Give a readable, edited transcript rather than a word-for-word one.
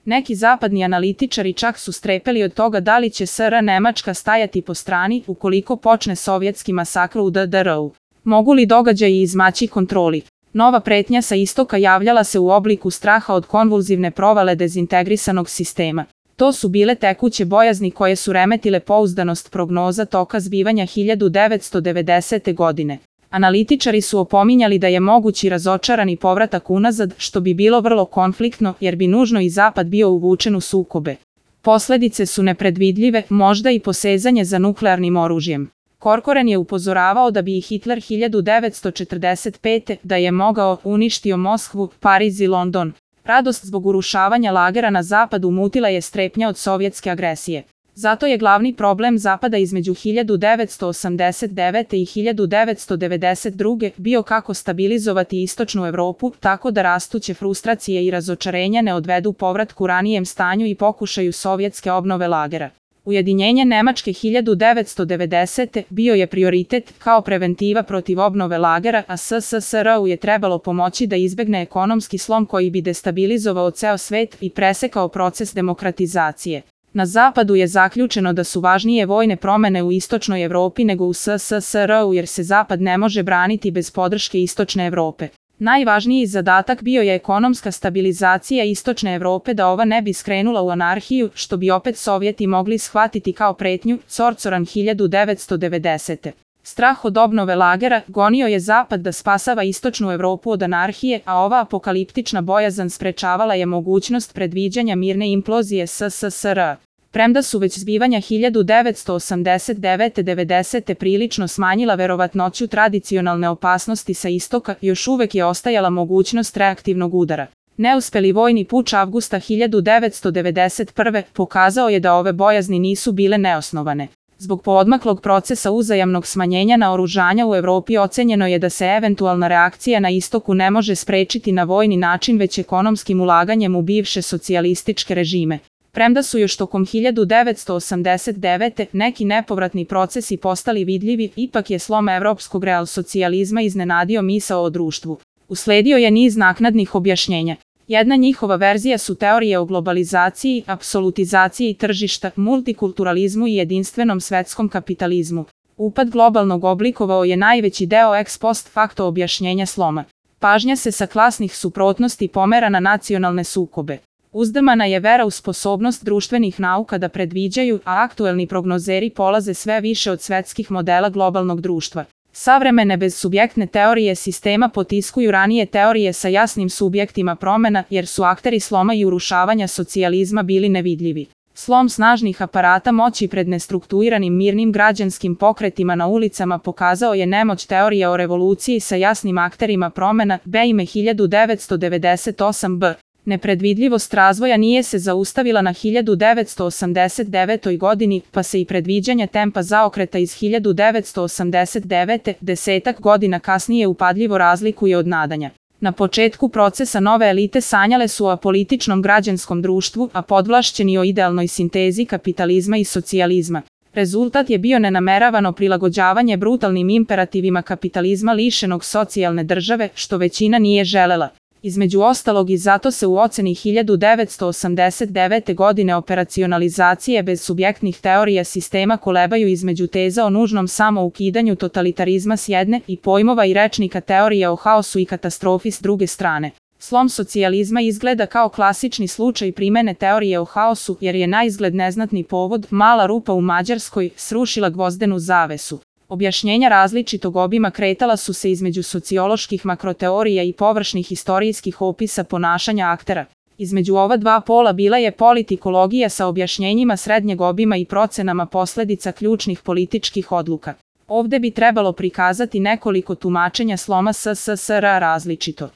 Neki zapadni analitičari čak su strepeli od toga da li će SR Nemačka stajati po strani ukoliko počne sovjetski masakr u DDR-u. Mogu li događaji izmaći kontroli? Nova pretnja sa istoka javljala se u obliku straha od konvulzivne provale dezintegrisanog sistema. To su bile tekuće bojazni koje su remetile pouzdanost prognoza toka zbivanja 1990. godine. Analitičari su opominjali da je mogući razočarani povratak unazad, što bi bilo vrlo konfliktno jer bi nužno i Zapad bio uvučen u sukobe. Posledice su nepredvidljive, možda i posezanje za nuklearnim oružjem. Corcoran je upozoravao da bi i Hitler 1945. da je mogao uništio Moskvu, Pariz i London. Radost zbog urušavanja lagera na zapadu mutila je strepnja od sovjetske agresije. Zato je glavni problem Zapada između 1989. i 1992. bio kako stabilizovati istočnu Evropu, tako da rastuće frustracije i razočarenja ne odvedu povratku ranijem stanju i pokušaju sovjetske obnove lagera. Ujedinjenje Nemačke 1990. bio je prioritet kao preventiva protiv obnove lagera, a SSSR-u je trebalo pomoći da izbegne ekonomski slom koji bi destabilizovao ceo svet i presekao proces demokratizacije. Na zapadu je zaključeno da su važnije vojne promene u istočnoj Evropi nego u SSSR-u jer se zapad ne može braniti bez podrške istočne Evrope. Najvažniji zadatak bio je ekonomska stabilizacija istočne Evrope da ova ne bi skrenula u anarhiju, što bi opet Sovjeti mogli shvatiti kao pretnju. Corcoran 1990. Strah od obnove lagera gonio je Zapad da spasava istočnu Evropu od anarhije, a ova apokaliptična bojazan sprečavala je mogućnost predviđanja mirne implozije SSSR-a. Premda su već zbivanja 1989-90. prilično smanjila verovatnoću tradicionalne opasnosti sa istoka, još uvek je ostajala mogućnost reaktivnog udara. Neuspeli vojni puč avgusta 1991. pokazao je da ove bojazni nisu bile neosnovane. Zbog poodmaklog procesa uzajamnog smanjenja naoružanja u Evropi ocenjeno je da se eventualna reakcija na istoku ne može sprečiti na vojni način već ekonomskim ulaganjem u bivše socijalističke režime. Premda su još tokom 1989. neki nepovratni procesi postali vidljivi, ipak je slom evropskog realsocijalizma iznenadio misao o društvu. Usledio je niz naknadnih objašnjenja. Jedna njihova verzija su teorije o globalizaciji, apsolutizaciji tržišta, multikulturalizmu i jedinstvenom svetskom kapitalizmu. Upad globalnog oblikovao je najveći deo ex post facto objašnjenja sloma. Pažnja se sa klasnih suprotnosti pomera na nacionalne sukobe. Uzdrmana je vera u sposobnost društvenih nauka da predviđaju, a aktuelni prognozeri polaze sve više od svetskih modela globalnog društva. Savremene bezsubjektne teorije sistema potiskuju ranije teorije sa jasnim subjektima promena, jer su akteri sloma i urušavanja socijalizma bili nevidljivi. Slom snažnih aparata moći pred nestrukturiranim mirnim građanskim pokretima na ulicama pokazao je nemoć teorije o revoluciji sa jasnim akterima promena, Beime 1998b. Nepredvidljivost razvoja nije se zaustavila na 1989. godini, pa se i predviđanja tempa zaokreta iz 1989. desetak godina kasnije upadljivo razlikuje od nadanja. Na početku procesa nove elite sanjale su o apolitičnom građanskom društvu, a podvlašćeni o idealnoj sintezi kapitalizma i socijalizma. Rezultat je bio nenameravano prilagođavanje brutalnim imperativima kapitalizma lišenog socijalne države, što većina nije želela. Između ostalog i zato se u oceni 1989. godine operacionalizacije bezsubjektnih teorija sistema kolebaju između teza o nužnom samoukidanju totalitarizma s jedne i pojmova i rečnika teorije o haosu i katastrofi s druge strane. Slom socijalizma izgleda kao klasični slučaj primene teorije o haosu jer je naizgled neznatni povod, mala rupa u Mađarskoj, srušila gvozdenu zavesu. Objašnjenja različitog obima kretala su se između socioloških makroteorija i površnih istorijskih opisa ponašanja aktera. Između ova dva pola bila je politikologija sa objašnjenjima srednjeg obima i procenama posledica ključnih političkih odluka. Ovde bi trebalo prikazati nekoliko tumačenja sloma SSSR različito.